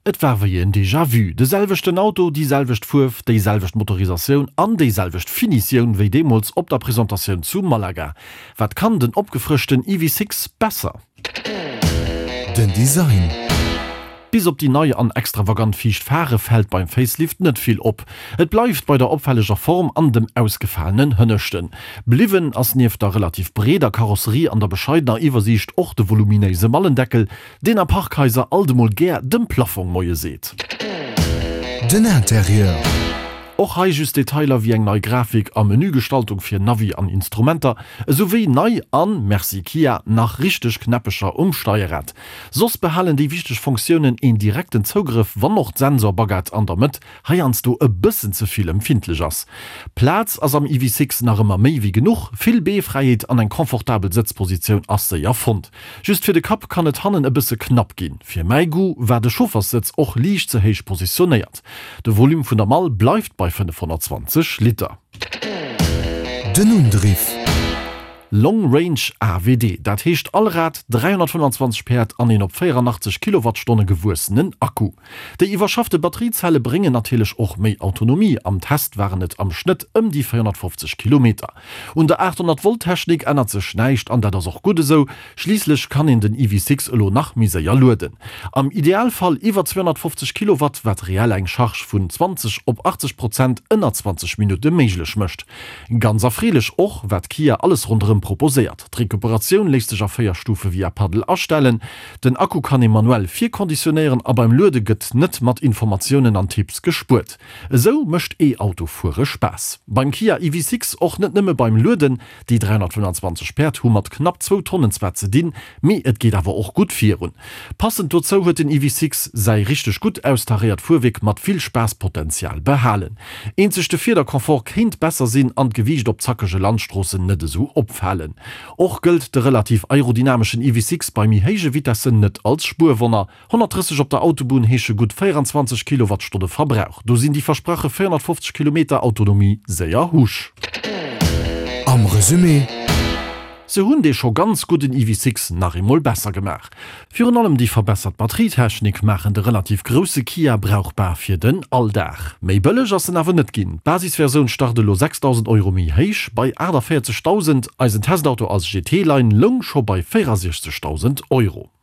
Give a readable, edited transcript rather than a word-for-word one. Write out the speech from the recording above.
Et war wéi en Déjà-vu, de selwechten Auto, déi selwecht Fuerf, déi selwecht Motorisatioun an déi selwecht Finitioun wéi deemools op der Presentatioun zu Malaga. Wat kann den opgefrëschten EV6 besser? Den Design. Bis op déi nei an extravagant viischt Phare fält beim Facelift net vill op. Et bleift bei der opfälleger Form an dem ausgefalenen Hënneschten. Bliwwen ass nieft der relativ breeder Karosserie an der bescheidener Iwwersiicht och de voluminéise Mallendeckel, Deen a Parkhaiser alt emol gär dem Plafong Moie seet. Den Interieur. Och hei just Detailer wéi eng nei Grafik a Menügestaltung fir Navi an Instrumenter, esou wéi nei an, merci Kia, nach richteg Knäppecher um Steierrad. Soss behalen déi wichteg Fonctiounen een direkten Zougrëff, wann och d'Sensorbaguette an der Mëtt heiansdo e bëssen ze vill empfindlech ass. Plaz ass am EV6 nach ëmmer méi wéi genuch, vill Beefräiheet an eng confortabel Sëtzpositioun ass séier fonnt. Just fir de Kapp kann et hannen e bësse knapp ginn. Fir mäi Goût war de Chaufferssëtz och liicht ze héich positionéiert. De Volume vun der Mall bleift bei 520 Liter. Den Undriff. Long Range AWD, dat heescht all Rad 325 Päerd an een op 84 Kilowattstonne gewuessenen Akku. Déi iwwerschaffte Batteriezelle bréngen natierlech och méi Autonomie, am Test waren et am Schnëtt ëm déi 450 Kilometer. Un der 800 Volt Technik ännert sech näischt an dat ass och gutt esou, schliisslech kann een den EV6 elo nach méi séier lueden. Am Idealfall iwwer 250 Kilowatt, wat reell eng Charge vun 20 op 80 Prozent ënner 20 Minutte méiglech mécht. Ganz erfreelech och, wat Kia alles ronderëm proposéiert. D'Recuperatioun léisst sech a 4 Stufe via Paddel astellen, den Akku kann ee manuell virkonditionéieren a beim Luede gëtt net mat Informatiounen an Tipps gespuert. Esou mécht E-Auto-Fuere Spaass. Beim Kia EV6 och net nëmme beim Lueden, Déi 325 Päerd hu mat knapp zwou Tonnen zwar ze dinn, mee et geet awer och gutt virun. Passend dozou huet den EV6 säi richteg gutt austaréiert Fuerwierk mat vill Spaasspotenzial behalen. Eenzeg de Fiederconfort kéint besser sinn an d'Gewiicht op zackege Landstroossen net esou opfalen. Och gëllt de relativ aerodynameschen EV6 bei méi héije Vitessen net als Spuerwonner. 130 op der Autobunn heesche gutt 24 Kilowattstonne Verbrauch. Do sinn déi versprache 450 Kilometer Autonomie séier husch. Am Resumé. Se hunn dee scho ganz gudden EV6 nach eemol besser gemaach. Virun allem déi verbessert Batterietechnik maachen de relativ grousse Kia brauchbar fir den Alldag. Méi bëlleg ass en awer net ginn. D'Basisversioun start elo 6.000 Euro méi héich, bei 48.000. Eisen Testauto als GT-Line loung scho bei 64.000 Euro.